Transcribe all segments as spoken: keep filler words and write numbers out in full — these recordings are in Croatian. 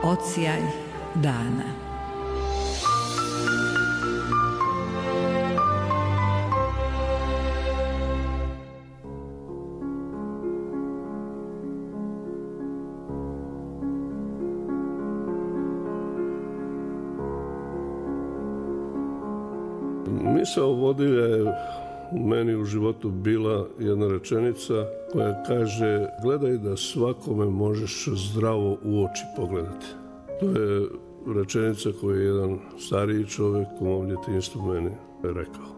Odsjaj dana. Misao vodilja je meni u životu bila jedna rečenica koja kaže: gledaj da svakome možeš zdravo u oči pogledati. To je rečenica koju je jedan stariji čovjek u mom djetinjstvu meni rekao.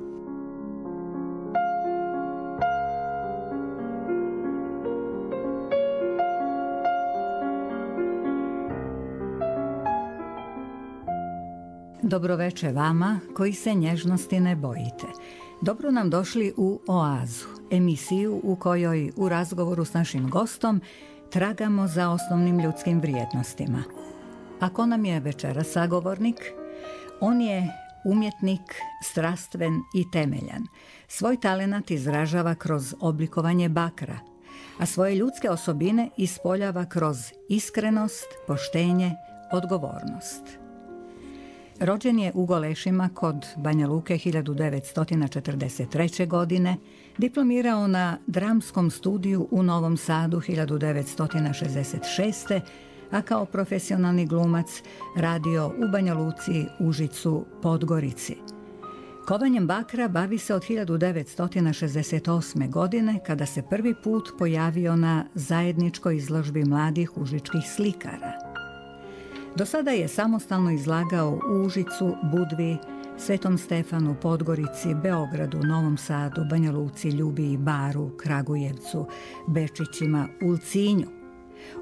Dobroveče vama koji se nježnosti ne bojite. Dobro nam došli u Oazu, emisiju u kojoj u razgovoru s našim gostom tragamo za osnovnim ljudskim vrijednostima. Ako nam je večera sagovornik, on je umjetnik, strastven i temeljan. Svoj talenat izražava kroz oblikovanje bakra, a svoje ljudske osobine ispoljava kroz iskrenost, poštenje, odgovornost. Rođen je u Golešima kod Banja Luke hiljadu devetsto četrdeset treće. godine, diplomirao na dramskom studiju u Novom Sadu hiljadu devetsto šezdeset šeste. a kao profesionalni glumac radio u Banja Luci, Užicu, Podgorici. Kovanjem bakra bavi se od hiljadu devetsto šezdeset osme. godine, kada se prvi put pojavio na zajedničkoj izložbi mladih užičkih slikara. Do sada je samostalno izlagao u Užicu, Budvi, Svetom Stefanu, Podgorici, Beogradu, Novom Sadu, Banja Luci, Ljubiji, Baru, Kragujevcu, Bečićima, Ulcinju.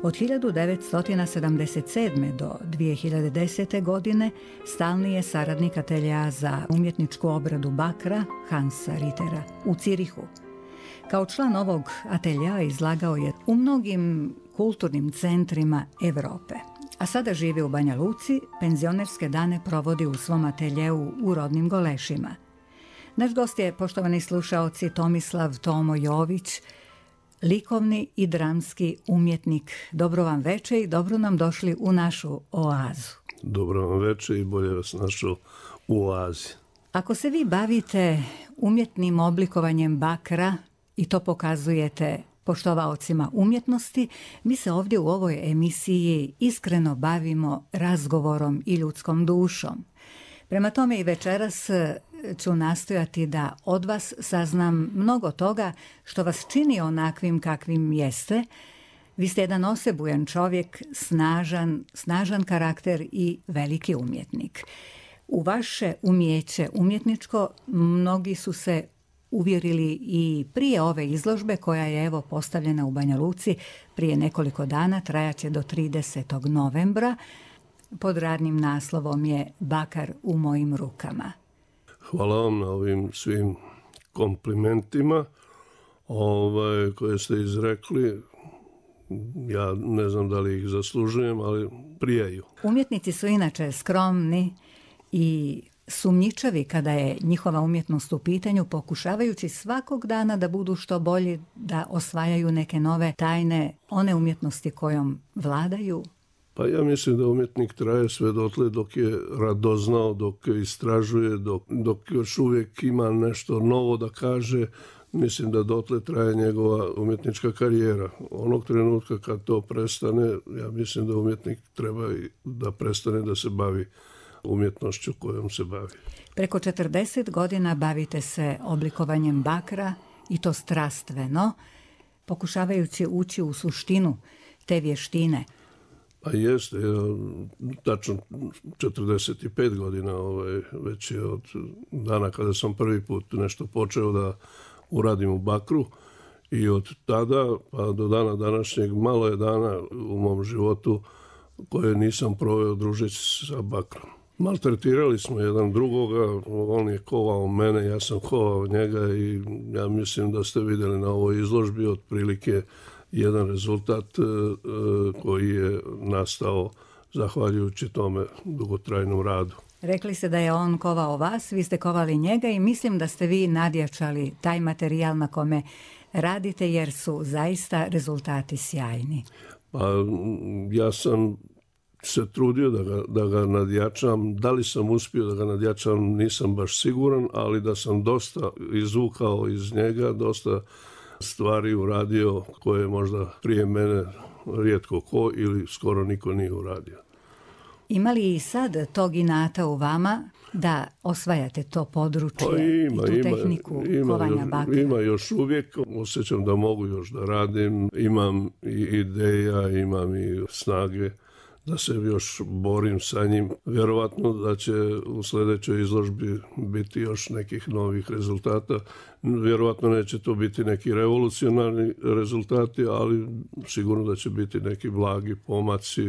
Od hiljadu devetsto sedamdeset sedme. do dvije hiljade desete. godine stalni je saradnik ateljea za umjetničku obradu bakra Hansa Rittera u Cirihu. Kao član ovog ateljea izlagao je u mnogim kulturnim centrima Evrope. A sada živi u Banja Luci, penzionerske dane provodi u svom ateljeu u rodnim Golešima. Naš gost je, poštovani slušaoci, Tomislav Tomo Jović, likovni i dramski umjetnik. Dobro vam veče i dobro nam došli u našu Oazu. Dobro vam veče i bolje vas našao u Oazi. Ako se vi bavite umjetnim oblikovanjem bakra i to pokazujete poštovaocima umjetnosti, mi se ovdje u ovoj emisiji iskreno bavimo razgovorom i ljudskom dušom. Prema tome i večeras ću nastojati da od vas saznam mnogo toga što vas čini onakvim kakvim jeste. Vi ste jedan osebujan čovjek, snažan, snažan karakter i veliki umjetnik. U vaše umjeće umjetničko mnogi su se uvjerili i prije ove izložbe koja je evo postavljena u Banja Luci prije nekoliko dana, trajaće do tridesetog novembra. Pod radnim naslovom je Bakar u mojim rukama. Hvala vam na ovim svim komplimentima ovaj, koje ste izrekli. Ja ne znam da li ih zaslužujem, ali prijaju. Umjetnici su inače skromni i sumnjičavi kada je njihova umjetnost u pitanju, pokušavajući svakog dana da budu što bolji, da osvajaju neke nove tajne, one umjetnosti kojom vladaju. Pa ja mislim da umjetnik traje sve dotle dok je radoznao, dok istražuje, dok, dok još uvijek ima nešto novo da kaže. Mislim da dotle traje njegova umjetnička karijera. Onog trenutka kad to prestane, ja mislim da umjetnik treba da prestane da se bavi umjetnošću kojom se bavi. Preko četrdeset godina bavite se oblikovanjem bakra i to strastveno, pokušavajući ući u suštinu te vještine. Pa jeste, ja, tačno četrdeset pet godina, ovaj, već je od dana kada sam prvi put nešto počeo da uradim u bakru i od tada pa do dana današnjeg malo je dana u mom životu koje nisam proveo družeći sa bakrom. Maltretirali smo jedan drugoga, on je kovao mene, ja sam kovao njega i ja mislim da ste vidjeli na ovoj izložbi otprilike jedan rezultat e, koji je nastao zahvaljujući tome dugotrajnom radu. Rekli ste da je on kovao vas, vi ste kovali njega i mislim da ste vi nadjačali taj materijal na kome radite jer su zaista rezultati sjajni. Pa ja sam se trudio da ga, da ga nadjačam. Da li sam uspio da ga nadjačam, nisam baš siguran, ali da sam dosta izvukao iz njega, dosta stvari uradio koje možda prije mene rijetko ko ili skoro niko nije uradio. Ima li i sad tog inata u vama da osvajate to područje pa ima, i tu ima, tehniku ima, kovanja bakra? Ima još uvijek, osjećam da mogu još da radim, imam i ideja, imam i snage da se još borim sa njim. Vjerovatno da će u sljedećoj izložbi biti još nekih novih rezultata. Vjerovatno neće to biti neki revolucionarni rezultati, ali sigurno da će biti neki blagi pomaci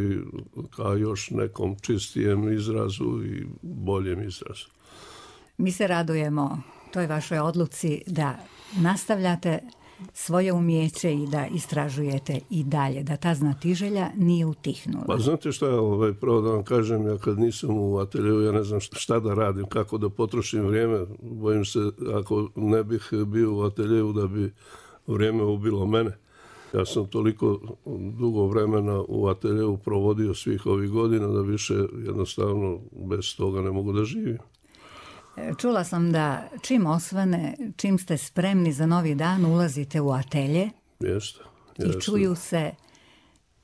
ka još nekom čistijem izrazu i boljem izrazu. Mi se radujemo toj vašoj odluci da nastavljate svoje umjeće i da istražujete i dalje, da ta znatiželja nije utihnula. Pa znate šta, ovaj, pravo da vam kažem, ja kad nisam u ateljeu, ja ne znam šta da radim, kako da potrošim vrijeme. Bojim se, ako ne bih bio u ateljeu, da bi vrijeme ubilo mene. Ja sam toliko dugo vremena u ateljeu provodio svih ovih godina da više jednostavno bez toga ne mogu da živim. Čula sam da čim osvane, čim ste spremni za novi dan, ulazite u atelje. Jeste, jeste. I čuju se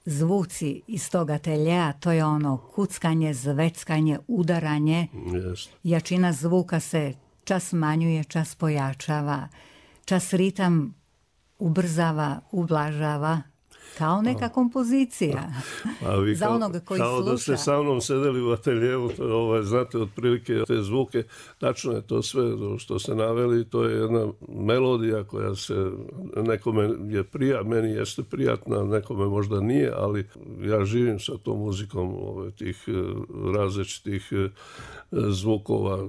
zvuci iz tog ateljeja, to je ono kuckanje, zveckanje, udaranje. Jeste. Jačina zvuka se čas smanjuje, čas pojačava, čas ritam ubrzava, ublažava. Kao neka kompozicija. A vi za kao, onoga koji kao sluša. Da ste sa mnom sedeli u ateljevu, ovaj, znate otprilike te zvuke, tačno je to sve što ste naveli, to je jedna melodija koja se nekome je prija, meni jeste prijatna, nekome možda nije, ali ja živim sa tom muzikom ovaj, tih različitih zvukova,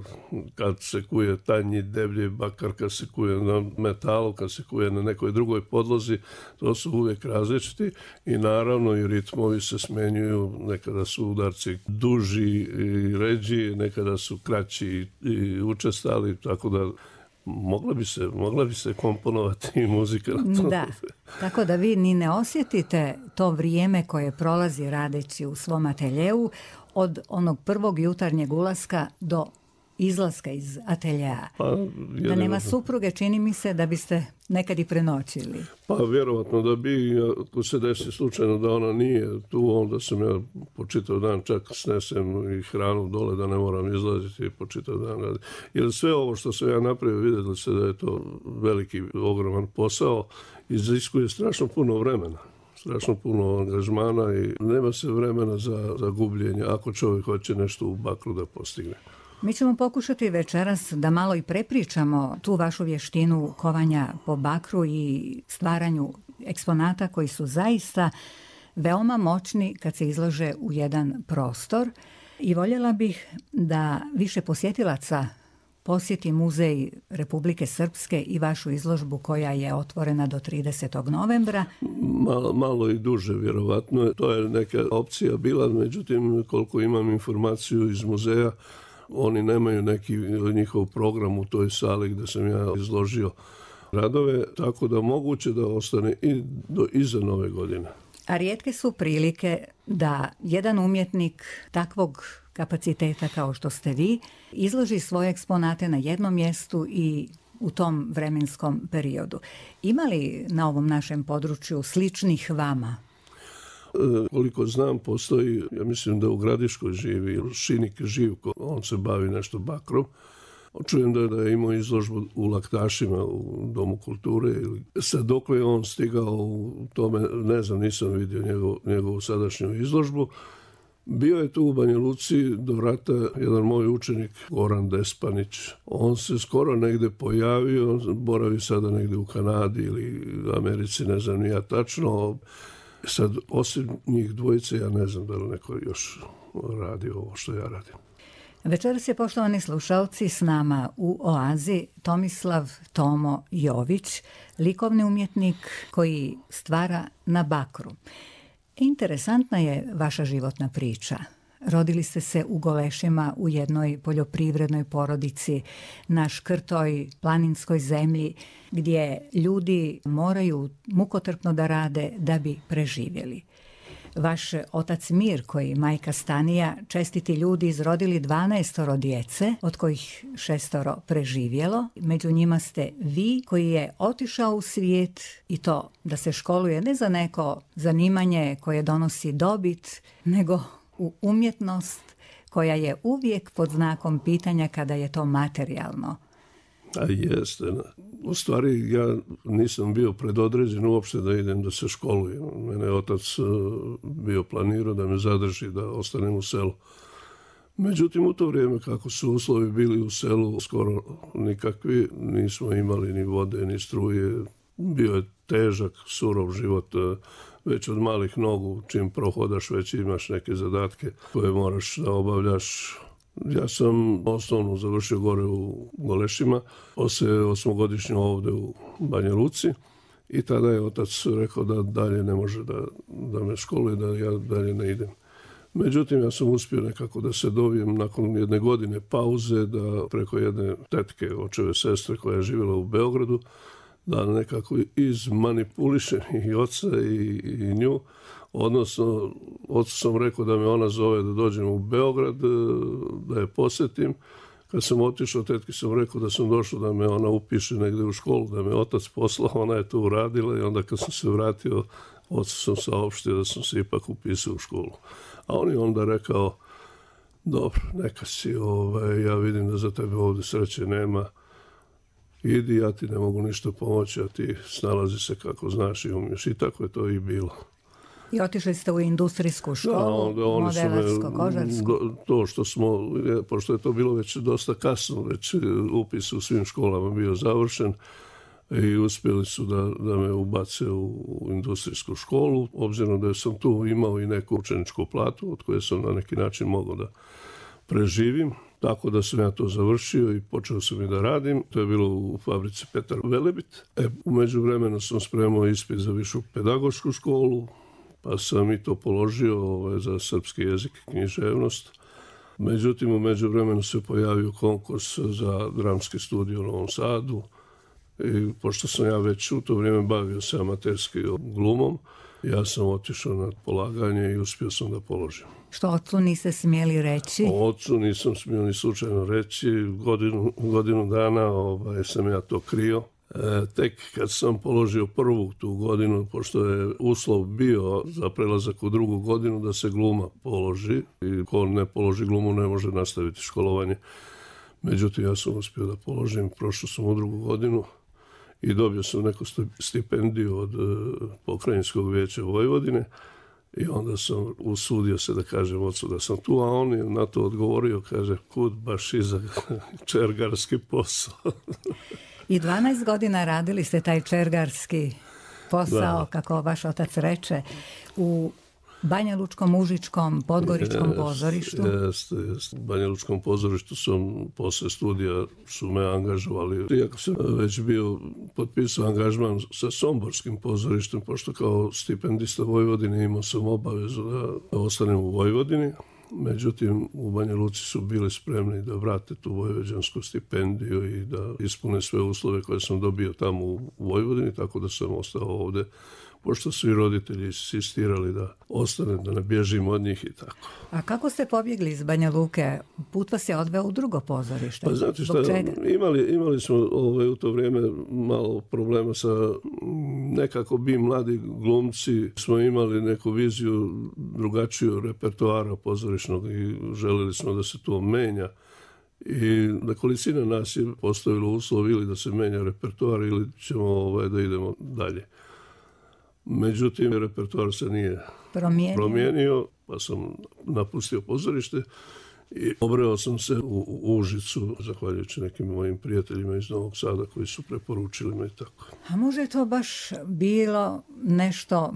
kad se kuje tanji, deblji bakar, kad se kuje na metalu, kad se kuje na nekoj drugoj podlozi, to su uvijek različiti i naravno i ritmovi se smenjuju, nekada su udarci duži i ređi, nekada su kraći i učestali, tako da mogla bi se, mogla bi se komponovati i muzika na to. Da, tako da vi ni ne osjetite to vrijeme koje prolazi radeći u svom ateljeu od onog prvog jutarnjeg ulaska do izlaska iz ateljeja. Pa, da nema supruge, čini mi se da biste nekad i prenoćili. Pa vjerovatno da bi, ako se desi slučajno da ona nije tu, onda sam ja po čitav dan čak snesem i hranu dole da ne moram izlaziti i po čitav dan raditi. Jer sve ovo što sam ja napravio, vidjeli se da je to veliki, ogroman posao, iziskuje strašno puno vremena. Strašno puno angažmana i nema se vremena za, za gubljenje ako čovjek hoće nešto u bakru da postigne. Mi ćemo pokušati večeras da malo i prepričamo tu vašu vještinu kovanja po bakru i stvaranju eksponata koji su zaista veoma moćni kad se izlože u jedan prostor. I voljela bih da više posjetilaca posjeti Muzej Republike Srpske i vašu izložbu koja je otvorena do tridesetog novembra. Malo, malo i duže, vjerovatno. To je neka opcija bila, međutim, koliko imam informaciju iz muzeja, oni nemaju neki njihov program u toj sali gdje sam ja izložio radove, tako da moguće da ostane i do iza nove godine. A rijetke su prilike da jedan umjetnik takvog kapaciteta kao što ste vi izloži svoje eksponate na jednom mjestu i u tom vremenskom periodu. Ima li na ovom našem području sličnih vama? E, koliko znam, postoji, ja mislim da u Gradiškoj živi Šinik Živko, on se bavi nešto bakrom. Čujem da, da je imao izložbu u Laktašima u Domu kulture. Sad dokle je on stigao u tome, ne znam, nisam vidio njegov, njegovu sadašnju izložbu. Bio je tu u Banja Luci do rata jedan moj učenik, Goran Despanić. On se skoro negde pojavio, boravi sada negde u Kanadi ili Americi, ne znam ni ja tačno. Sad, osim njih dvojice, ja ne znam da li neko još radi ovo što ja radim. Večeras je, poštovani slušalci, s nama u Oazi Tomislav Tomo Jović, likovni umjetnik koji stvara na bakru. Interesantna je vaša životna priča. Rodili ste se u Golešima u jednoj poljoprivrednoj porodici na škrtoj planinskoj zemlji gdje ljudi moraju mukotrpno da rade da bi preživjeli. Vaš otac Mir, koji majka Stanija, čestiti ljudi, izrodili dvanaestoro djece, od kojih šestoro preživjelo. Među njima ste vi, koji je otišao u svijet, i to da se školuje ne za neko zanimanje koje donosi dobit, nego u umjetnost koja je uvijek pod znakom pitanja kada je to materijalno. A jeste. U stvari ja nisam bio predodređen uopšte da idem da se školujem. Mene je otac bio planirao da me zadrži, da ostanem u selu. Međutim, u to vrijeme kako su uslovi bili u selu skoro nikakvi, nismo imali ni vode, ni struje. Bio je težak, surov život, već od malih nogu, čim prohodaš, već imaš neke zadatke koje moraš da obavljaš. Ja sam osnovnu završio gore u Golešima, poslije osmogodišnju ovdje u Banja Luci, i tada je otac rekao da dalje ne može da, da me školuje, da ja dalje ne idem. Međutim, ja sam uspio nekako da se dovijem nakon jedne godine pauze, da preko jedne tetke, očeve sestre koja je živjela u Beogradu, da nekako izmanipulišem i oca i, i nju. Odnosno, ocu sam rekao da me ona zove da dođem u Beograd, da je posjetim. Kad sam otišao, tetki sam rekao da sam došao da me ona upiše negdje u školu, da me otac poslao, ona je to uradila, i onda kad sam se vratio, ocu sam saopštio da sam se ipak upisao u školu. A on je onda rekao, dobro, neka si, ovaj, ja vidim da za tebe ovdje sreće nema, idi, ja ti ne mogu ništa pomoći, a ti snalazi se kako znaš i umiješ. I tako je to i bilo. I otišli ste u industrijsku školu, da, modelarsko-kožarsku. To što smo, pošto je to bilo već dosta kasno, već upis u svim školama bio završen, i uspjeli su da, da me ubace u, u industrijsku školu, obzirom da sam tu imao i neku učeničku platu od koje sam na neki način mogao da preživim. Tako da sam ja to završio i počeo sam i da radim. To je bilo u fabrici Petar Velebit. E, u međuvremenu sam spremao ispit za višu pedagošku školu, pa sam i to položio ovaj, za srpski jezik i književnost. Međutim, u međuvremenu se pojavio konkurs za dramski studij u Novom Sadu. I pošto sam ja već u to vrijeme bavio se amaterski glumom, ja sam otišao na polaganje i uspio sam da položim. Što ocu niste smjeli reći? O ocu nisam smio ni slučajno reći. Godinu, godinu dana ovaj, sam ja to krio. E, tek kad sam položio prvu tu godinu, pošto je uslov bio za prelazak u drugu godinu da se gluma položi, i ko ne položi glumu ne može nastaviti školovanje. Međutim, ja sam uspio da položim, prošao sam u drugu godinu i dobio sam neku stipendiju od Pokrajinskog vijeća Vojvodine, i onda sam usudio se da kažem ocu da sam tu, a on je na to odgovorio, kaže, kud baš i za čergarski posao. I dvanaest godina radili ste taj čergarski posao, da, kako vaš otac reče, u Banja Lučkom, Užičkom, Podgoričkom jest, pozorištu. Jeste, jeste. U Banja Lučkom pozorištu sam posle studija su me angažovali. Iako sam već bio potpisao angažman sa Somborskim pozorištem, pošto kao stipendista Vojvodine imao sam obavezu da ostanem u Vojvodini. Međutim, u Banja Luci su bili spremni da vrate tu vojvođansku stipendiju i da ispune sve uslove koje sam dobio tamo u Vojvodini, tako da sam ostao ovdje, pošto su i roditelji insistirali da ostanem, da ne bježim od njih i tako. A kako ste pobjegli iz Banja Luke? Put vas je odveo u drugo pozorište. Pa znate šta, imali, imali smo ovaj, u to vrijeme malo problema sa, nekako bi mladi glumci smo imali neku viziju drugačiju repertoara pozorišnog i željeli smo da se to menja. I nekolicina nas je postavilo uslov ili da se menja repertoar ili ćemo ovaj, da idemo dalje. Međutim, repertoar se nije promijenio. promijenio, pa sam napustio pozorište i obreo sam se u, u Užicu, zahvaljujući nekim mojim prijateljima iz Novog Sada koji su preporučili me i tako. A može to baš bilo nešto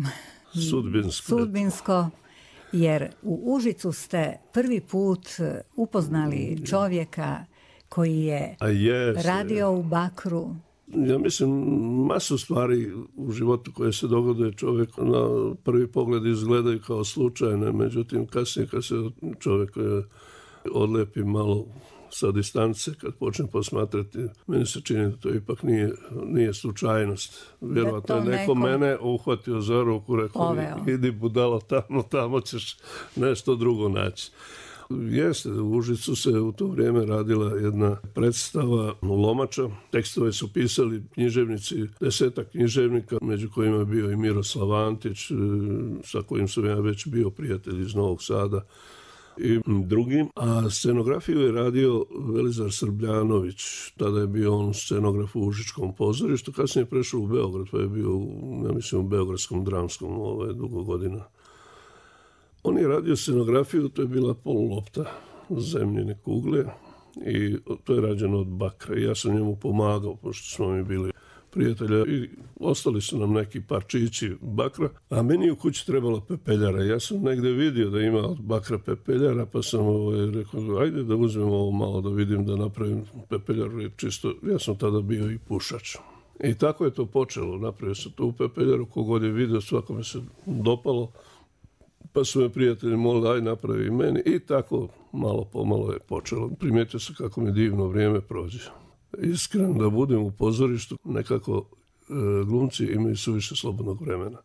sudbinsko, sudbinsko, jer u Užicu ste prvi put upoznali čovjeka koji je yes, radio u bakru. Ja mislim, masu stvari u životu koje se dogode čovjek na prvi pogled izgledaju kao slučajne, međutim kasnije kad se čovjek odlepi malo sa distance, kad počnem posmatrati, meni se čini da to ipak nije, nije slučajnost. Vjerovatno je neko, neko mene uhvatio za ruku, rekao, idi budalo tamo, tamo ćeš nešto drugo naći. Jeste, u Užicu se u to vrijeme radila jedna predstava Lomača. Tekstove su pisali književnici, desetak književnika, među kojima je bio i Miroslav Antić, sa kojim sam ja već bio prijatelj iz Novog Sada i drugim. A scenografiju je radio Velizar Srbljanović. Tada je bio on scenograf u Užičkom pozorištu. Kasnije je prešao u Beograd, pa je bio, ja mislim, u Beogradskom dramskom ove, dugo godina. On je radio scenografiju, to je bila polulopta zemljine kugle i to je rađeno od bakra. Ja sam njemu pomagao, pošto smo mi bili prijatelja i ostali su nam neki parčići bakra, a meni u kući trebalo pepeljara. Ja sam negdje vidio da ima od bakra pepeljara, pa sam ovaj, rekao, ajde da uzmem ovo malo da vidim, da napravim pepeljaru, jer čisto, ja sam tada bio i pušač. I tako je to počelo, napravio sam tu pepeljaru, kogod je vidio, svakome se dopalo. Pa su me prijatelji molili, aj napravi meni, i tako malo pomalo je počelo. Primijetio se kako mi divno vrijeme prođe. Iskreno da budem u pozorištu, nekako e, glumci imaju suviše slobodnog vremena.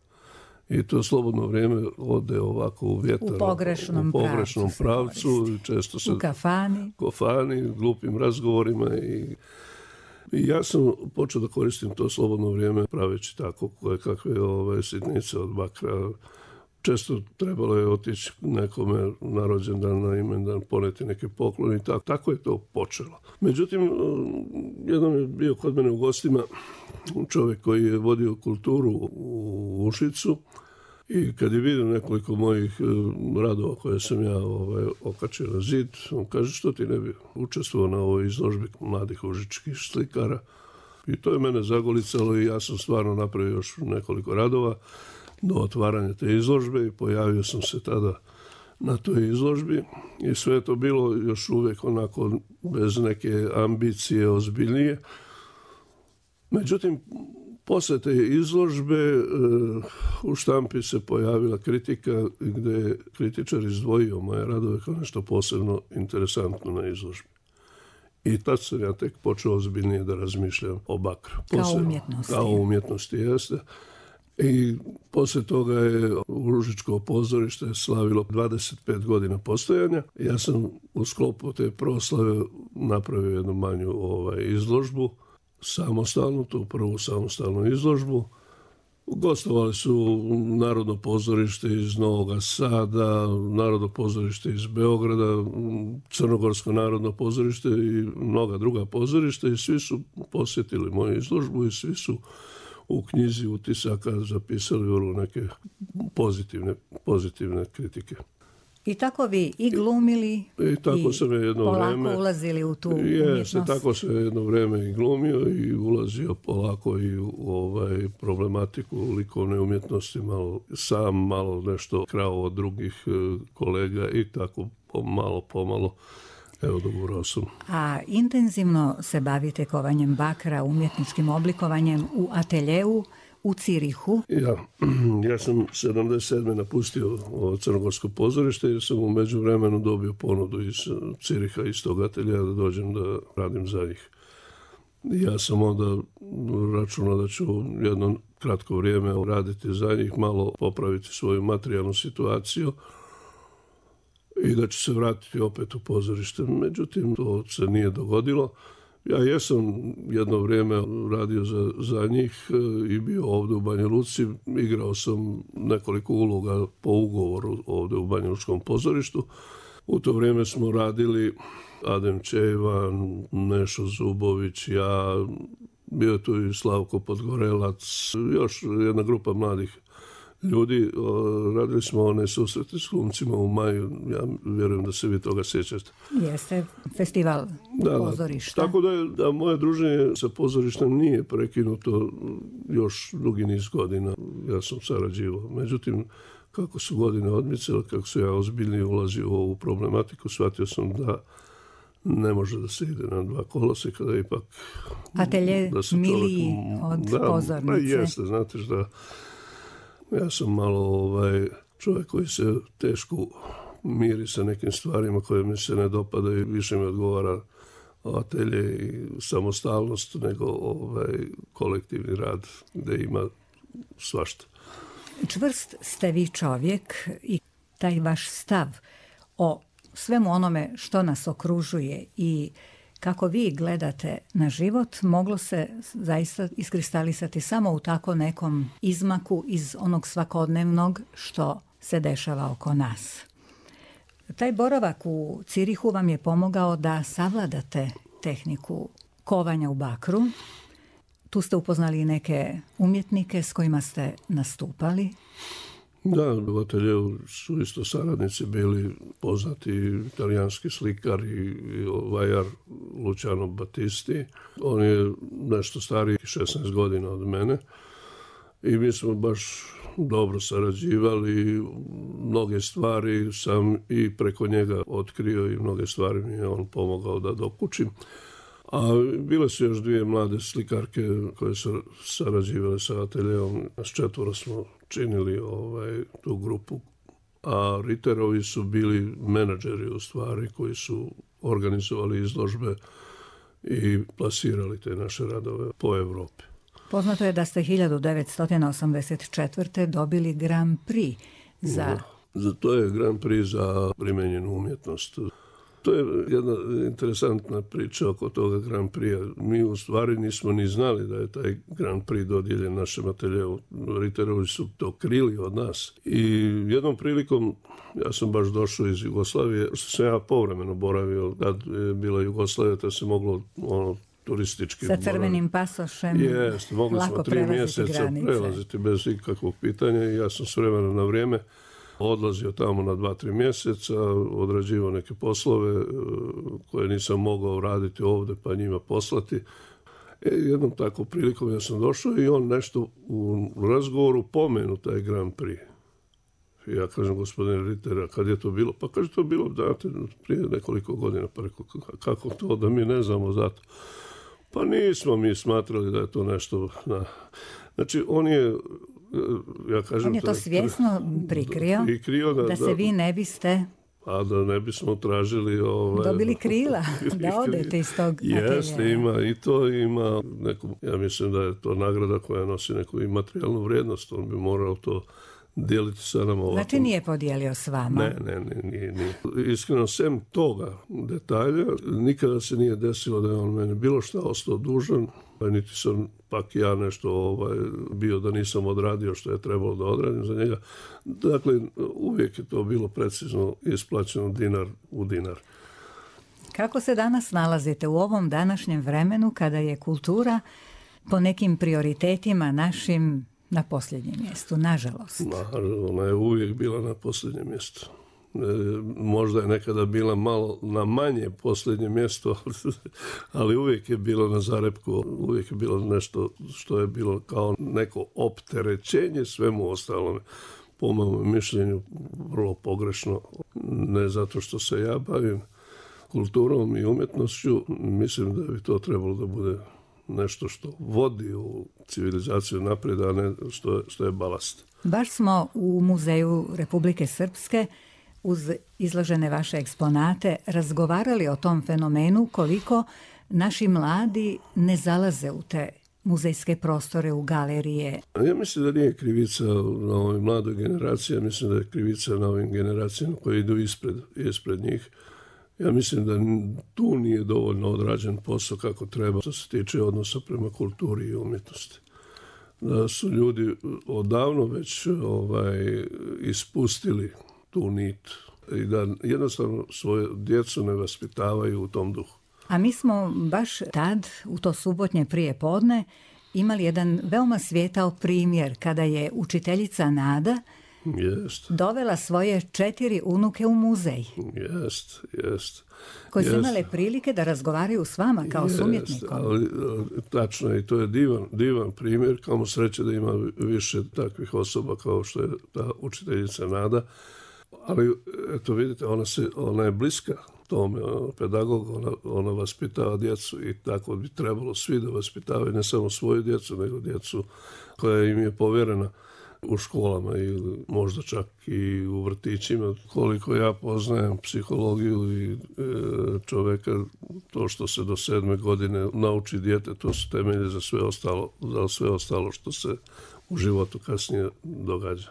I to slobodno vrijeme ode ovako u vjetar. U pogrešnom, u pogrešnom pravcu. pravcu često se u kafani. kafani, glupim razgovorima. I, I ja sam počeo da koristim to slobodno vrijeme praveći tako koje kakve ove sitnice od bakra. Često trebalo je otići nekome na rođendan, na imendan, poneti neke poklone i tako. Tako je to počelo. Međutim, jednom je bio kod mene u gostima čovjek koji je vodio kulturu u Užicu i kad je vidio nekoliko mojih radova koje sam ja ovaj, okačio na zid, on kaže, što ti ne bi učestvovao na ovoj izložbi mladih užičkih slikara. I to je mene zagolicalo i ja sam stvarno napravio još nekoliko radova do otvaranja te izložbe i pojavio sam se tada na toj izložbi i sve je to bilo još uvijek onako bez neke ambicije ozbiljnije. Međutim, poslije te izložbe u štampi se pojavila kritika gdje je kritičar izdvojio moje radove kao nešto posebno interesantno na izložbi. I tad sam ja tek počeo ozbiljnije da razmišljam o bakru. Kao umjetnosti. Kao umjetnosti, jeste. I poslije toga je Užičko pozorište slavilo dvadeset pet godina postojanja. Ja sam u sklopu te proslave napravio jednu manju ovaj, izložbu, samostalnu, tu prvu samostalnu izložbu. Gostovali su Narodno pozorište iz Novog Sada, Narodno pozorište iz Beograda, Crnogorsko narodno pozorište i mnoga druga pozorišta i svi su posjetili moju izložbu i svi su u knjizi utisaka zapisali vrlo neke pozitivne, pozitivne kritike. I tako vi i glumili i, tako i sam je jedno polako vreme, ulazili u tu jeste, umjetnost. Tako sam jedno vrijeme i glumio i ulazio polako i u ovaj, problematiku likovne umjetnosti, malo sam, malo nešto krao od drugih kolega i tako malo pomalo. Evo, dogurao sam. A intenzivno se bavite kovanjem bakra, umjetničkim oblikovanjem u ateljeu u Cirihu? Ja, ja sam sedamdeset sedme napustio Crnogorsko pozorište jer sam u međuvremenu dobio ponudu iz Ciriha, iz tog ateljeja da dođem da radim za njih. Ja sam onda računao da ću jedno kratko vrijeme raditi za njih, malo popraviti svoju materijalnu situaciju i da ću se vratiti opet u pozorište. Međutim, to se nije dogodilo. Ja jesam jedno vrijeme radio za, za njih i bio ovdje u Banja Luci. Igrao sam nekoliko uloga po ugovoru ovdje u Banja Lučkom pozorištu. U to vrijeme smo radili Adem Čevan, Nešo Zubović, ja, bio tu i Slavko Podgorelac, još jedna grupa mladih ljudi. Radili smo one susrete s glumcima u maju, ja vjerujem da se vi toga sjećate. Jeste, festival da, pozorišta. Tako da, je, da moje druženje sa pozorištem nije prekinuto još dugi niz godina. Ja sam sarađivao. Međutim, kako su godine odmicale, kako su ja ozbiljnije ulazio u ovu problematiku, shvatio sam da ne može da se ide na dva koloseka, da ipak... Atelje miliji od da, pozornice. Da, jeste, znate da ja sam malo ovaj, čovjek koji se teško miri sa nekim stvarima koje mi se ne dopada i više mi odgovara atelje i samostalnost, nego ovaj, kolektivni rad gde ima svašta. Čvrst ste vi čovjek i taj vaš stav o svemu onome što nas okružuje i kako vi gledate na život moglo se zaista iskristalisati samo u tako nekom izmaku iz onog svakodnevnog što se dešava oko nas. Taj boravak u Cirihu vam je pomogao da savladate tehniku kovanja u bakru. Tu ste upoznali i neke umjetnike s kojima ste nastupali. Da, u ateljeu su isto saradnici bili poznati italijanski slikar i vajar Luciano Battisti. On je nešto stariji, šesnaest godina od mene. I mi smo baš dobro sarađivali. Mnoge stvari sam i preko njega otkrio i mnoge stvari mi je on pomogao da dokučim. A bile su još dvije mlade slikarke koje su sarađivale sa ateljeom. S četvoro smo činili ovaj, tu grupu. A Ritterovi su bili menadžeri u stvari koji su organizovali izložbe i plasirali te naše radove po Evropi. Poznato je da ste hiljadu devetsto osamdeset četvrte dobili Grand Prix za... Da, za to je Grand Prix za primenjenu umjetnost. To je jedna interesantna priča oko toga Grand Prix. Mi u stvari nismo ni znali da je taj Grand Prix dodijeljen našem ateljeu. Ritterovi su to krili od nas. I jednom prilikom, ja sam baš došao iz Jugoslavije, što sam ja povremeno boravio, kad je bila Jugoslavija, to se moglo ono, turistički... Sa crvenim pasošem. Jeste, mogli smo tri mjeseca granice. Prelaziti bez ikakvog pitanja i ja sam s vremena na vrijeme odlazio tamo na dva, tri mjeseca, odrađivao neke poslove koje nisam mogao raditi ovdje pa njima poslati. E, jednom takvom prilikom ja sam došao i on nešto u razgovoru pomenu taj Grand Prix. I ja kažem, gospodine Ritter, kad je to bilo? Pa kaže, to bilo, znate, prije nekoliko godina. Pa rekao, kako to da mi ne znamo za to? Pa nismo mi smatrali da je to nešto... Na... Znači, on je... Ja kažem, on je to svjesno prikrio, prikrio da, da se da, vi ne biste... A da ne bismo tražili... Ovaj, dobili krila, da odete iz tog ateljeja. Jeste, ima i to ima neku... Ja mislim da je to nagrada koja nosi neku i materijalnu vrijednost. On bi morao to dijeliti sa nama ovako. Znači nije podijelio s vama? Ne, ne, ne, nije, nije. Iskreno, sem toga detalja, nikada se nije desilo da je on meni bilo šta ostao dužan, niti sam pak ja nešto ovaj, bio da nisam odradio što je trebalo da odradim za njega. Dakle, uvijek je to bilo precizno isplaćeno dinar u dinar. Kako se danas nalazite u ovom današnjem vremenu kada je kultura po nekim prioritetima našim na posljednjem mjestu, nažalost? Ma, ona je uvijek bila na posljednjem mjestu. E, možda je nekada bila malo na manje posljednje mjesto, ali uvijek je bilo na zarepku, uvijek je bilo nešto što je bilo kao neko opterećenje svemu ostalome. Po mom mišljenju vrlo pogrešno, ne zato što se ja bavim kulturom i umjetnošću, mislim da bi to trebalo da bude nešto što vodi u civilizaciju naprijed, a ne što je, što je balast. Baš smo u Muzeju Republike Srpske uz izložene vaše eksponate razgovarali o tom fenomenu koliko naši mladi ne zalaze u te muzejske prostore, u galerije. Ja mislim da nije krivica na ovoj mladoj generaciji, ja mislim da je krivica na ovim generacijama koje idu ispred, ispred njih. Ja mislim da tu nije dovoljno odrađen posao kako treba što se tiče odnosa prema kulturi i umjetnosti. Da su ljudi odavno već ovaj, ispustili tu nit i da jednostavno svoje djecu ne vaspitavaju u tom duhu. A mi smo baš tad, u to subotnje prije podne, imali jedan veoma svijetao primjer kada je učiteljica Nada Jest. dovela svoje četiri unuke u muzej. Jest, jest. Koji su jest. imale prilike da razgovaraju s vama kao jest, s umjetnikom. Ali, tačno je, i to je divan, divan primjer, kamo sreće da ima više takvih osoba kao što je ta učiteljica Nada. Ali, eto vidite, ona, se, ona je bliska tome, ona pedagog, ona, ona vaspitava djecu i tako bi trebalo svi da vaspitavaju ne samo svoju djecu, nego djecu koja im je povjerena. u školama ili možda čak i u vrtićima. Koliko ja poznajem psihologiju i e, čoveka, to što se do sedme godine nauči dijete, to su temelje za sve ostalo, za sve ostalo što se u životu kasnije događa.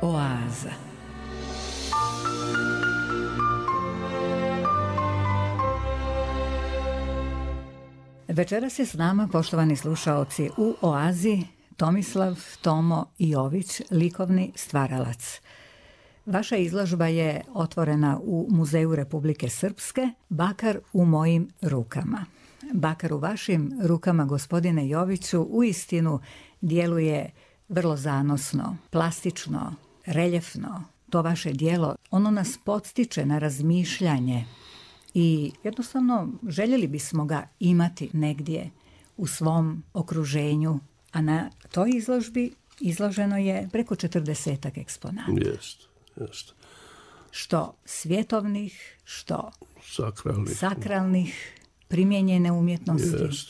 Oaza. Večeras je s nama, poštovani slušaoci, u Oazi Tomislav Tomo Jović, likovni stvaralac. Vaša izložba je otvorena u Muzeju Republike Srpske, Bakar u mojim rukama. Bakar u vašim rukama, gospodine Joviću, uistinu djeluje vrlo zanosno, plastično, reljefno. To vaše djelo, ono nas podstiče na razmišljanje i jednostavno željeli bismo ga imati negdje u svom okruženju, a na toj izložbi izloženo je preko četrdesetak eksponata. Jest, jest. Što svjetovnih, što sakralnih, sakralnih primijenjene umjetnosti. Jest.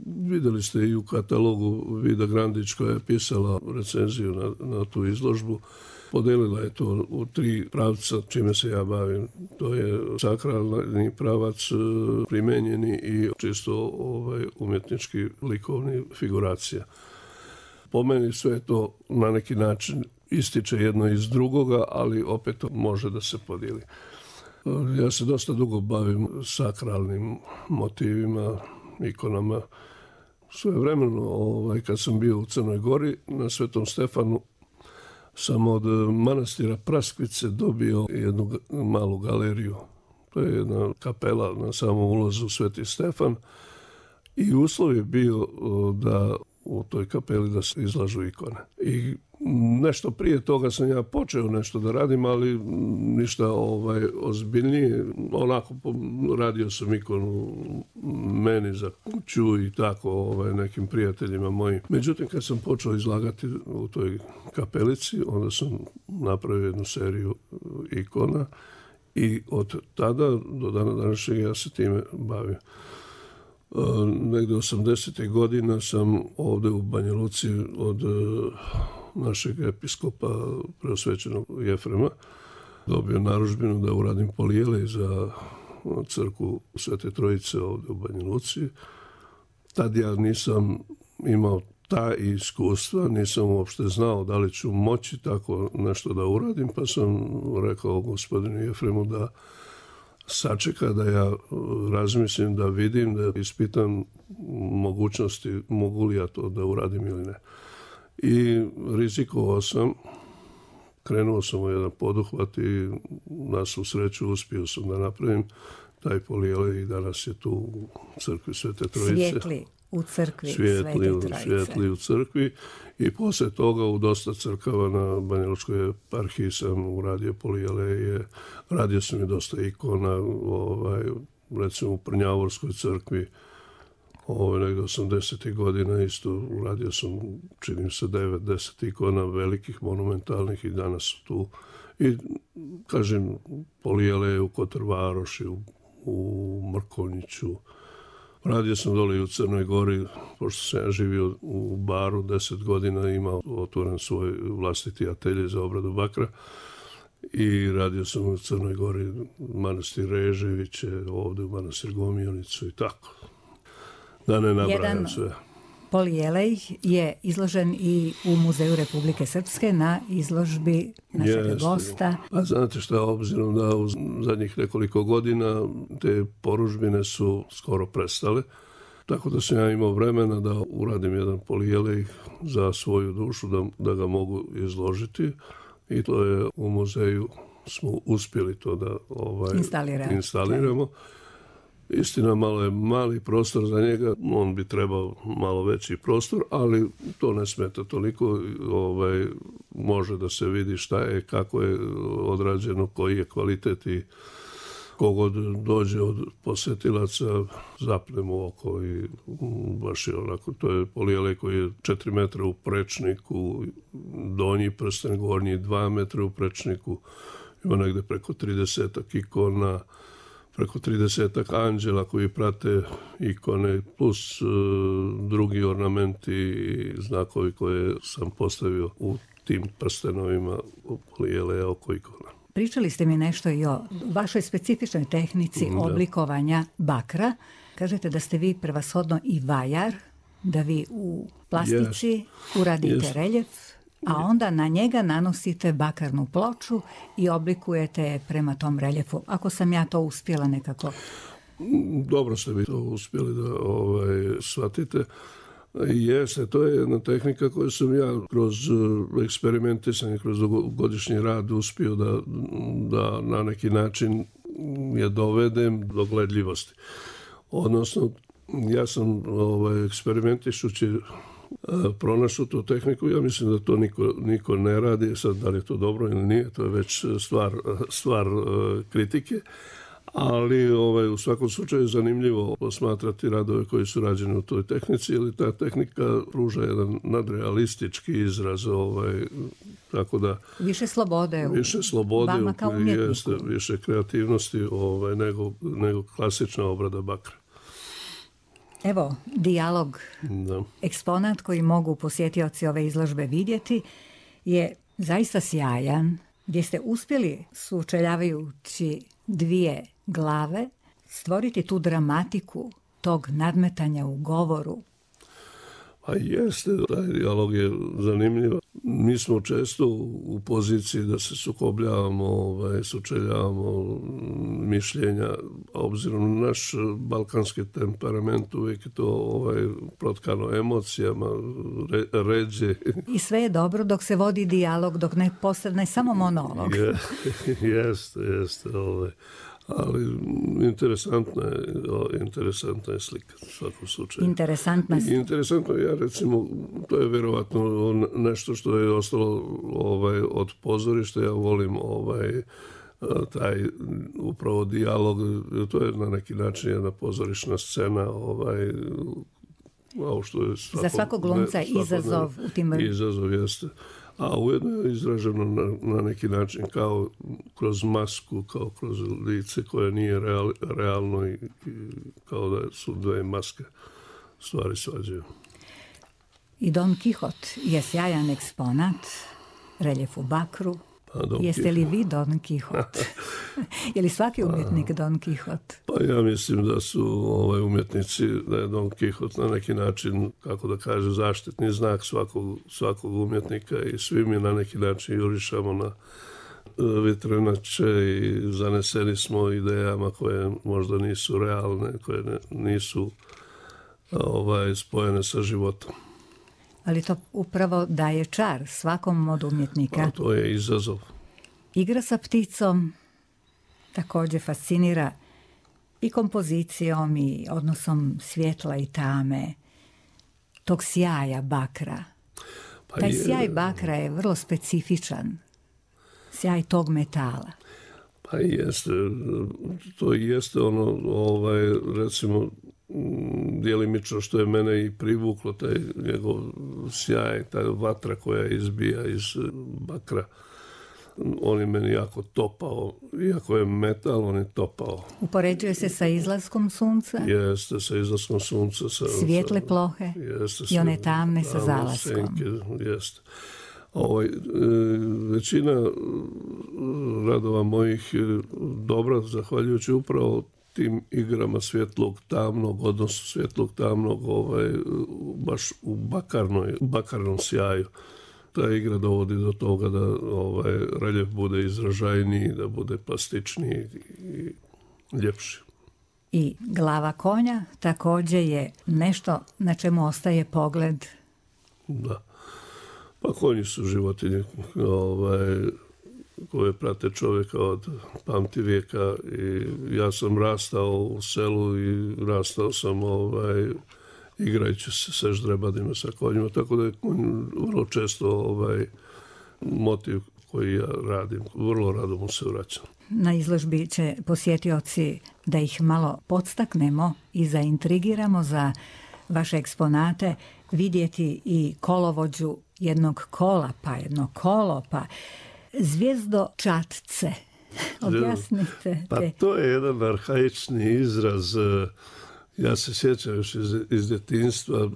Vidjeli ste i u katalogu Vida Grandić koja je pisala recenziju na, na tu izložbu. Podelila je to u tri pravca čime se ja bavim. To je sakralni pravac, primenjeni i čisto ovaj, umjetnički likovni figuracija. Po meni sve to na neki način ističe jedno iz drugoga, ali opet to može da se podijeli. Ja se dosta dugo bavim sakralnim motivima, ikonama. Svojevremeno, ovaj, kad sam bio u Crnoj Gori na Svetom Stefanu, sam od manastira Praskvice dobio jednu malu galeriju. To je jedna kapela na samom ulazu u Sveti Stefan i uslov je bio da u toj kapeli da se izlažu ikone. I nešto prije toga sam ja počeo nešto da radim, ali ništa ovaj, ozbiljnije. Onako radio sam ikonu meni za kuću i tako ovaj, nekim prijateljima mojim. Međutim, kad sam počeo izlagati u toj kapelici, onda sam napravio jednu seriju ikona i od tada do dana današnjeg ja se time bavim. Negde osamdesetih godina sam ovde u Banja Luci od našeg episkopa preosvećenog Jefrema dobio narudžbinu da uradim polijelej za crkvu Svete Trojice ovde u Banja Luci. Tad ja nisam imao ta iskustva, nisam uopšte znao da li ću moći tako nešto da uradim, pa sam rekao gospodinu Jefremu da sačeka da ja razmislim, da vidim, da ispitam mogućnosti, mogu li ja to da uradim ili ne. I rizikovao sam, krenuo sam u jedan poduhvat i na svu sreću uspio sam da napravim taj polijelej i danas je tu u crkvi Svete Trojice. Svijetli u crkvi Svijetli, Svete Trojice. Svijetli u crkvi i posle toga u dosta crkava na Banjalučkoj eparhiji sam uradio polijeleje, radio sam i dosta ikona, ovaj, recimo u Prnjavorskoj crkvi, ovaj, negde osamdesetih godina isto uradio sam, činim se, devet deset ikona velikih, monumentalnih i danas su tu. I, kažem, polijeleje u Kotrvaroši, u, u Mrkonjiću. Radio sam dole i u Crnoj Gori, pošto sam ja živio u Baru deset godina, imao otvoren svoj vlastiti atelje za obradu bakra i radio sam u Crnoj Gori manastir Reževiće, ovde u manastir Gomijonicu i tako. Da ne nabrajam sve. Polijelej je izložen i u Muzeju Republike Srpske na izložbi našeg Jeste. gosta. A znate šta, obzirom da u zadnjih nekoliko godina te porudžbine su skoro prestale, tako da sam ja imao vremena da uradim jedan polijelej za svoju dušu, da, da ga mogu izložiti i to je u muzeju smo uspjeli to da ovaj, instaliramo. Istina, malo je mali prostor za njega, on bi trebao malo veći prostor, ali to ne smeta toliko, ovaj, može da se vidi šta je, kako je odrađeno, koji je kvalitet i kogod dođe od posjetilaca, zapnemo u oko i baš je onako, to je polijelej koji je četiri metra u prečniku, donji prsten, gornji dva metra u prečniku, ima negde preko tridesetak ikona, preko tridesetak anđela koji prate ikone, plus uh, drugi ornamenti i znakovi koje sam postavio u tim prstenovima polijeleja oko ikona. Pričali ste mi nešto i o vašoj specifičnoj tehnici da. oblikovanja bakra. Kažete da ste vi prevashodno i vajar, da vi u plastici yes. uradite yes. reljef, a onda na njega nanosite bakarnu ploču i oblikujete je prema tom reljefu. Ako sam ja to uspjela nekako... Dobro ste vi to uspjeli da ovaj, shvatite. Jeste, to je jedna tehnika koju sam ja kroz eksperimentisanje, kroz godišnji rad uspio da, da na neki način je dovedem do gledljivosti. Odnosno, ja sam ovaj, eksperimentišući pronašao tu tehniku, ja mislim da to niko, niko ne radi, sad da li je to dobro ili nije, to je već stvar, stvar kritike, ali ovaj, u svakom slučaju je zanimljivo posmatrati radove koji su rađeni u toj tehnici, jer ta tehnika pruža jedan nadrealistički izraz, ovaj, tako da... Više slobode u više slobode, vama kao umjetniku. Jeste, više kreativnosti ovaj, nego, nego klasična obrada bakra. Evo, dijalog, da. Eksponat koji mogu posjetioci ove izložbe vidjeti je zaista sjajan, gdje ste uspjeli, sučeljavajući dvije glave, stvoriti tu dramatiku tog nadmetanja u govoru. A jeste, taj dijalog je zanimljiv. Mi smo često u poziciji da se sukobljavamo, ovaj, sučeljavamo mišljenja, a obzirom na naš balkanski temperament uvijek je to ovaj, protkano emocijama, re, ređe. I sve je dobro dok se vodi dijalog, dok ne postane samo monolog. Je, jeste, jeste. Ovaj. Ali interesantna je, interesantna je slika u svakom slučaju. Interesantna slika. Interesantno, ja recimo, to je vjerovatno nešto što je ostalo ovaj, od pozorišta. Ja volim ovaj, taj upravo dijalog, to je na neki način jedna pozorišna scena, ovaj, što je svakog, za svakog glumca ne, izazov u tim... Izazov jeste. A ujedno je izraženo na, na neki način kao kroz masku, kao kroz lice koje nije real, realno i, i kao da su dve maske stvari svađaju. I Don Kihot je sjajan eksponat, reljef u bakru. Pa, Jeste li vi Don Kihot? Je li svaki umjetnik Don Kihot? Pa ja mislim da su ovaj, umjetnici, da je Don Kihot na neki način, kako da kaže, zaštitni znak svakog, svakog umjetnika i svi mi na neki način jurišamo na vjetrenače i zaneseni smo idejama koje možda nisu realne, koje ne, nisu ovaj, spojene sa životom. Ali to upravo daje čar svakom od umjetnika. A to je izazov. Igra sa pticom također fascinira i kompozicijom i odnosom svjetla i tame, tog sjaja bakra. Pa Taj je, sjaj bakra je vrlo specifičan. Sjaj tog metala. Pa jeste. To jeste ono, ovaj, recimo, djelimično što je mene i privuklo, taj njegov sjaj, ta vatra koja izbija iz bakra. On je meni jako topao, iako je metal, on je topao. Upoređuje se sa izlaskom sunca? Jeste, sa izlaskom sunca. Sa, Svijetle plohe jeste, i one tamne sa zalaskom. Senke, jeste. Ovaj, e, većina radova mojih dobra, zahvaljujući upravo tim igrama svjetlog tamnog, odnosno svjetlog tamnog, ovaj, baš u bakarnoj, bakarnom sjaju. Ta igra dovodi do toga da ovaj, reljef bude izražajniji, da bude plastičniji i ljepši. I glava konja također je nešto na čemu ostaje pogled. Da. Pa konji su životinje ovaj, koje prate čovjeka od pamti vijeka i ja sam rastao u selu i rastao sam ovaj, igrajući se sa ždrebadima, sa konjima, tako da je konj vrlo često ovaj, motiv koji ja radim. Vrlo rado mu se vraćam. Na izložbi će posjetioci da ih malo podstaknemo i zaintrigiramo za vaše eksponate, vidjeti i kolovođu jednog kola, pa jedno kolo, pa zvijezdočatce. Objasnite. Pa to je jedan arhaični izraz. Ja se sjećam još iz, iz djetinjstva.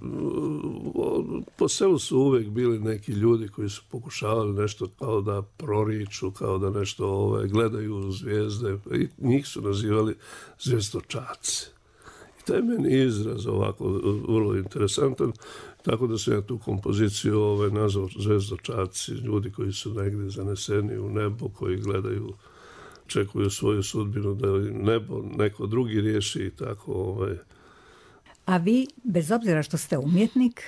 Po selu su uvijek bili neki ljudi koji su pokušavali nešto kao da proriču, kao da nešto ovaj, gledaju zvijezde. I njih su nazivali zvijezdočaci. I taj meni izraz ovako vrlo interesantan. Tako da sam ja tu kompoziciju ovaj, nazvao zvijezdočaci, ljudi koji su negdje zaneseni u nebo, koji gledaju, čekuju svoju sudbinu da nebo neko drugi riješi i tako. Ovaj. A vi, bez obzira što ste umjetnik,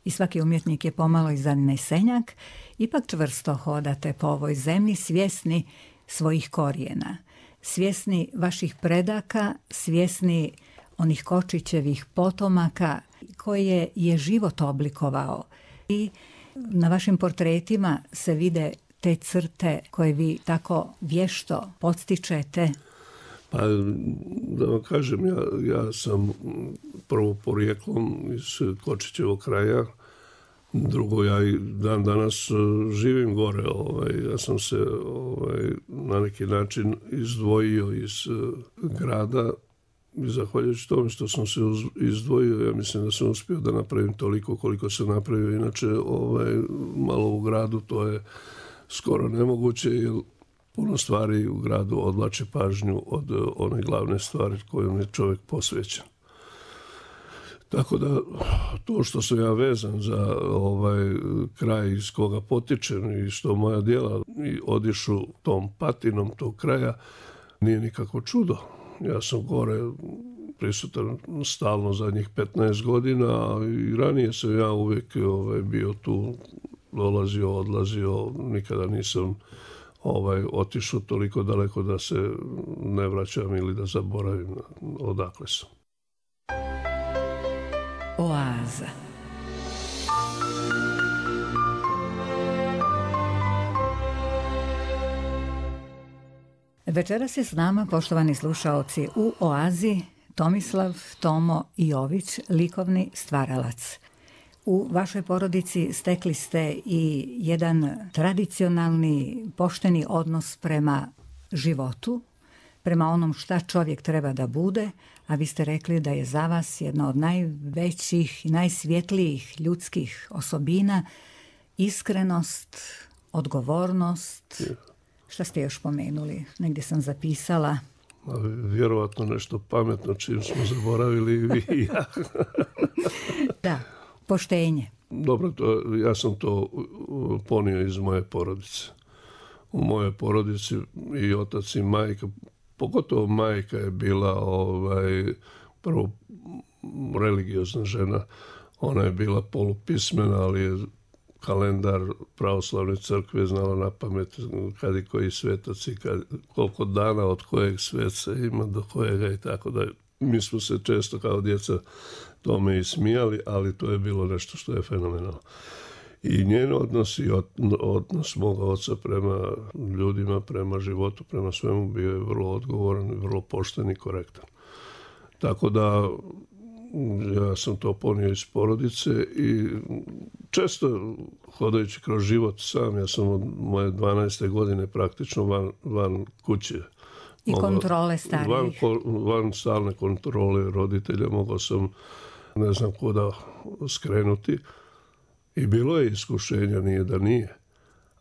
i svaki umjetnik je pomalo i zanesenjak, ipak čvrsto hodate po ovoj zemlji, svjesni svojih korijena, svjesni vaših predaka, svjesni onih Kočićevih potomaka koje je život oblikovao. I na vašim portretima se vide te crte koje vi tako vješto podstičete. Pa, da vam kažem, ja, ja sam prvo porijeklom iz Kočićevog kraja, drugo, ja i dan danas živim gore. Ovaj, ja sam se ovaj, na neki način izdvojio iz grada i zahvaljujući tome što sam se izdvojio, ja mislim da sam uspio da napravim toliko koliko sam napravio. Inače, ovaj, malo u gradu to je skoro nemoguće, jer puno stvari u gradu odvlači pažnju od one glavne stvari kojom je čovjek posvećen. Tako da to što sam ja vezan za ovaj kraj iz koga potičem i što moja djela i odišu tom patinom tog kraja, nije nikako čudo. Ja sam gore prisutan stalno zadnjih petnaest godina, a i ranije sam ja uvijek ovaj, bio tu, dolazio, odlazio, nikada nisam ovaj, otišao toliko daleko da se ne vraćam ili da zaboravim odakle sam. Oaza. Večeras je s nama, poštovani slušaoci, u Oazi Tomislav Tomo Jović, likovni stvaralac. U vašoj porodici stekli ste i jedan tradicionalni, pošteni odnos prema životu, prema onom šta čovjek treba da bude, a vi ste rekli da je za vas jedna od najvećih i najsvjetlijih ljudskih osobina iskrenost, odgovornost. Šta ste još pomenuli? Negdje sam zapisala. Vjerovatno nešto pametno čim smo zaboravili i vi i ja. Da, poštenje. Dobro, to, ja sam to ponio iz moje porodice. U mojoj porodici i otac i majka, pogotovo majka je bila ovaj, prvo religiozna žena. Ona je bila polupismena, ali je kalendar pravoslavne crkve znala na pamet kad i koji svetac i kad, koliko dana od kojeg sveca ima do kojega i tako da. Mi smo se često kao djeca tome i smijali, ali to je bilo nešto što je fenomenalno. I njen odnos i odnos moga oca prema ljudima, prema životu, prema svemu bio je vrlo odgovoran, vrlo pošten i korektan. Tako da ja sam to ponio iz porodice i često hodajući kroz život sam, ja sam od moje dvanaeste godine praktično van, van kuće. I mogao, kontrole starijih. Van, van stalne kontrole roditelja mogao sam ne znam kuda skrenuti. I bilo je iskušenja, nije da nije.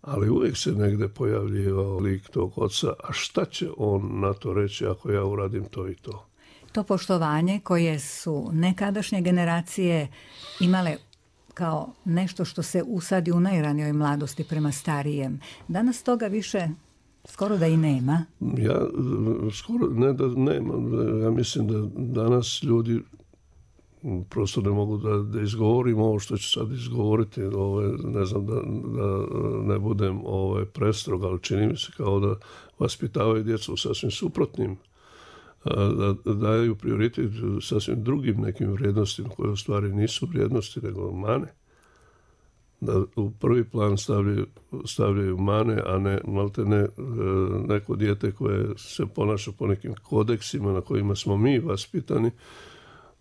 Ali uvijek se negdje pojavljivao lik tog oca, a šta će on na to reći ako ja uradim to i to? To poštovanje koje su nekadašnje generacije imale kao nešto što se usadi u najranijoj mladosti prema starijem. Danas toga više skoro da i nema. Ja skoro ne da nema. Ja mislim da danas ljudi prosto ne mogu da, da izgovorim ovo što ću sad izgovoriti. Ove, ne znam da, da ne budem ove, prestrog, ali čini mi se kao da vaspitavaju djecu u sasvim suprotnim, da, da daju prioritet sasvim drugim nekim vrijednostima koje u stvari nisu vrijednosti nego mane. Da u prvi plan stavljaju, stavljaju mane, a ne malte ne neko dijete koje se ponaša po nekim kodeksima na kojima smo mi vaspitani,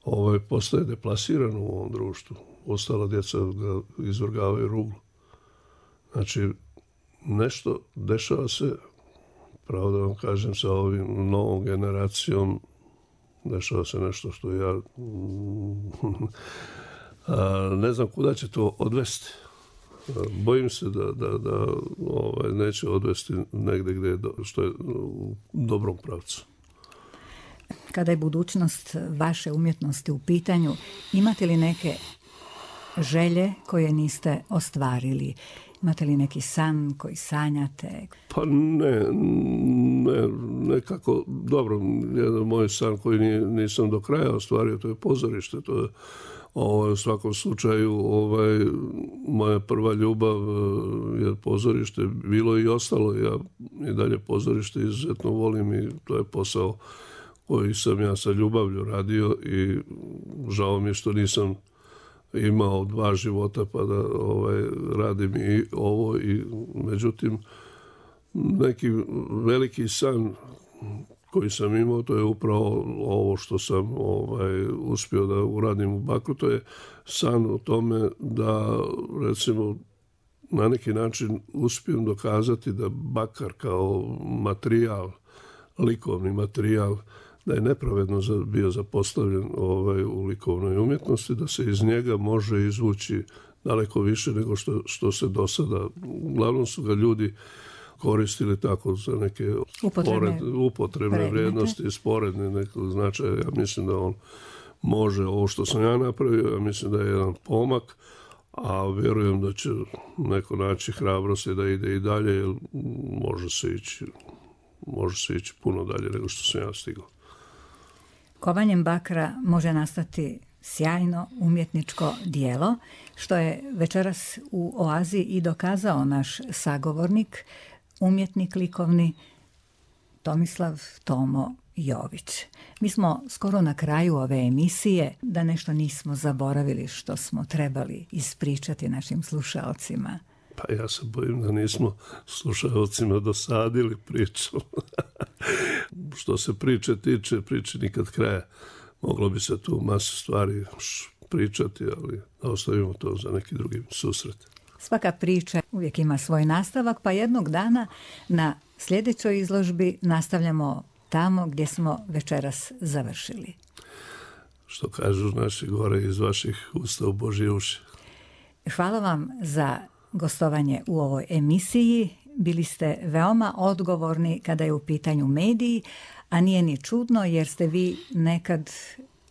ovaj, postaje deplasirano u ovom društvu. Ostala djeca ga izvrgavaju ruglu. Znači, nešto dešava se, pravo da vam kažem, sa ovim novom generacijom, dešava se nešto što ja a, ne znam kuda će to odvesti. Bojim se da, da, da ovaj, neće odvesti negdje gdje je do, što je u dobrom pravcu. Kada je budućnost vaše umjetnosti u pitanju, imate li neke želje koje niste ostvarili? Imate li neki san koji sanjate? Pa ne, ne, nekako, dobro, jedan moj san koji nisam do kraja ostvario, to je pozorište, to je ovaj, u svakom slučaju ovaj, moja prva ljubav je pozorište, bilo i ostalo, ja i dalje pozorište izuzetno volim i to je posao koji sam ja sa ljubavlju radio i žao mi je što nisam imao dva života pa da ovaj, radim i ovo. I, međutim, neki veliki san koji sam imao, to je upravo ovo što sam ovaj, uspio da uradim u Bakru. To je san o tome da, recimo, na neki način uspijem dokazati da bakar kao materijal, likovni materijal, da je nepravedno bio zapostavljen ovaj, u likovnoj umjetnosti, da se iz njega može izvući daleko više nego što, što se do sada. Uglavnom su ga ljudi koristili tako za neke upotrebne, pored, upotrebne vrijednosti, sporedne nekog značaja. Ja mislim da on može ovo što sam ja napravio, ja mislim da je jedan pomak, a vjerujem da će neko naći hrabrosti da ide i dalje, jer može se ići, može se ići puno dalje nego što sam ja stigao. Kovanjem bakra može nastati sjajno umjetničko dijelo, što je večeras u Oazi i dokazao naš sagovornik, umjetnik likovni Tomislav Tomo Jović. Mi smo skoro na kraju ove emisije, da nešto nismo zaboravili što smo trebali ispričati našim slušalcima. Pa ja se bojim da nismo slušalcima dosadili priču. Što se priče tiče, priče nikad kraja. Moglo bi se tu masu stvari pričati, ali ostavimo to za neki drugi susret. Svaka priča uvijek ima svoj nastavak, pa jednog dana na sljedećoj izložbi nastavljamo tamo gdje smo večeras završili. Što kažu naši gore iz vaših usta u Božje uši. Hvala vam za gostovanje u ovoj emisiji. Bili ste veoma odgovorni kada je u pitanju mediji, a nije ni čudno jer ste vi nekad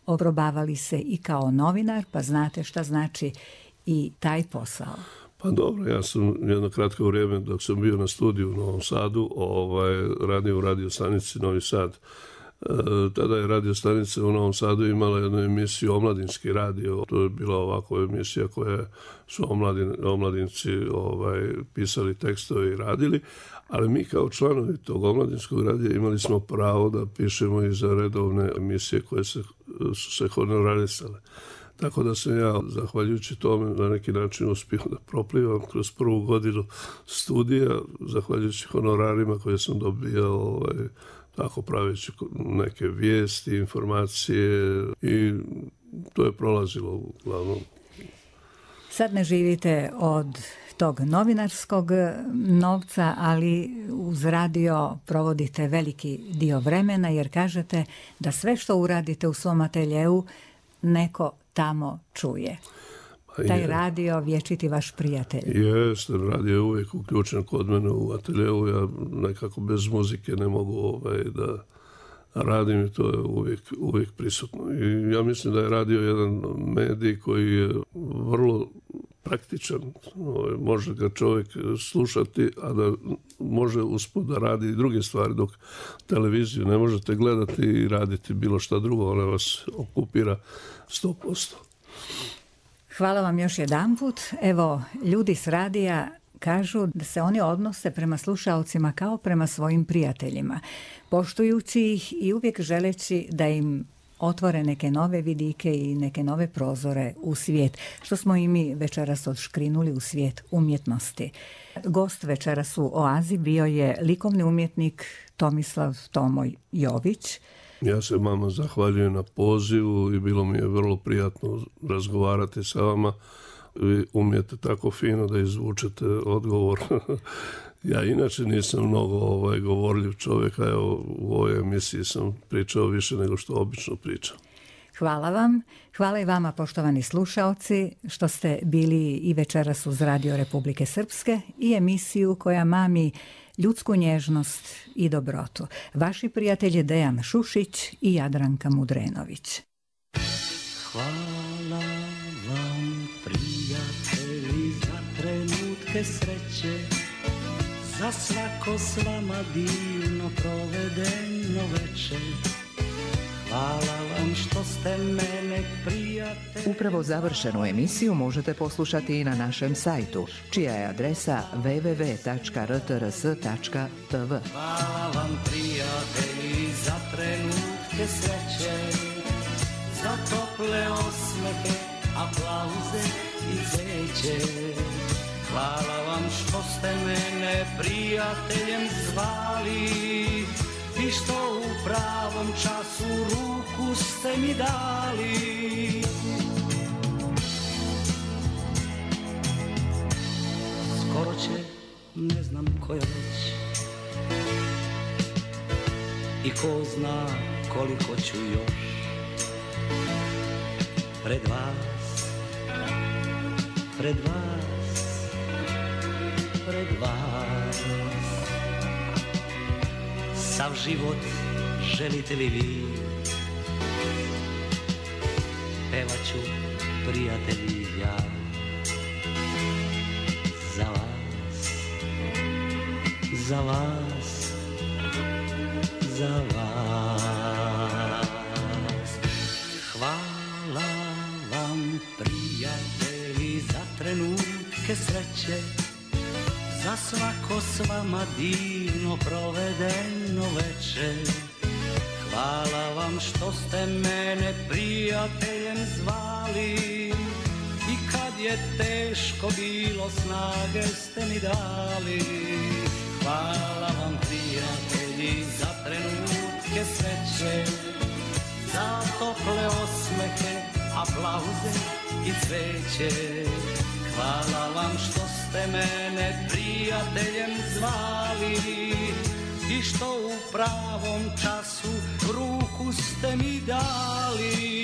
oprobavali se i kao novinar, pa znate šta znači i taj posao. Pa dobro, ja sam jedno kratko vrijeme dok sam bio na studiju u Novom Sadu, ovaj, radio u radio stanici Novi Sad. E, tada je radio stanica u Novom Sadu imala jednu emisiju Omladinski radio. To je bila ovako emisija koja su omladin, omladinci ovaj, pisali tekstove i radili, ali mi kao članovi tog Omladinskog radija imali smo pravo da pišemo i za redovne emisije koje se, su se honorarisale. Tako da sam ja, zahvaljujući tome, na neki način uspio da proplivam kroz prvu godinu studija, zahvaljujući honorarima koje sam dobijao, ovaj, tako praveći neke vijesti, informacije i to je prolazilo uglavnom. Sad ne živite od tog novinarskog novca, ali uz radio provodite veliki dio vremena jer kažete da sve što uradite u svom ateljeu neko tamo čuje. Pa taj je. Radio vječiti vaš prijatelj. Jeste, radio je uvijek uključen kod mene u ateljeu. Ja nekako bez muzike ne mogu ovaj, da radim i to je uvijek, uvijek prisutno. I ja mislim da je radio jedan medij koji je vrlo praktičan. Ovaj, može ga čovjek slušati, a da može usput da radi i druge stvari, dok televiziju ne možete gledati i raditi bilo šta drugo, ona vas okupira sto posto. Hvala vam još jedanput. Evo, ljudi s radija kažu da se oni odnose prema slušalcima kao prema svojim prijateljima, poštujući ih i uvijek želeći da im otvore neke nove vidike i neke nove prozore u svijet, što smo i mi večeras odškrinuli u svijet umjetnosti. Gost večeras u Oazi bio je likovni umjetnik Tomislav Tomo Jović. Ja se vama zahvaljujem na pozivu i bilo mi je vrlo prijatno razgovarati sa vama. Vi umijete tako fino da izvučete odgovor. Ja inače nisam mnogo ovaj, govorljiv čovjek, a evo, u ovoj emisiji sam pričao više nego što obično pričam. Hvala vam. Hvala i vama, poštovani slušaoci, što ste bili i večeras uz Radio Republike Srpske i emisiju koja mami ljudsku nježnost i dobrotu. Vaši prijatelji Dejan Šušić i Jadranka Mudrenović. Hvala vam, prijatelji, za trenutke sreće, za svako s vama divno provedeno večer. Hvala vam što ste mene prijatelji. Upravo završenu emisiju možete poslušati i na našem sajtu, čija je adresa w w w tačka r t r s tačka t v. Hvala vam, prijatelji, za trenutke sreće, za tople osmehe, aplauze i cveće. Hvala vam što ste mene prijateljem zvali i što u pravom času ruku ste mi dali. Skoro će, ne znam koja već, i ko zna koliko ću još pred vas, pred vas, pred vas. Sav život želite li vi, pevaću prijatelji ja za vas, za vas, za vas. Hvala vam prijatelji za trenutke sreće, za svako s vama divno provedeno večer. Hvala vam što ste mene prijateljem zvali i kad je teško bilo snage ste mi dali. Hvala vam prijatelji za trenutke sreće, za tople osmehe, aplauze i cveće. Hvala vam što ste mene prijateljem zvali i što u pravom času ruku ste mi dali.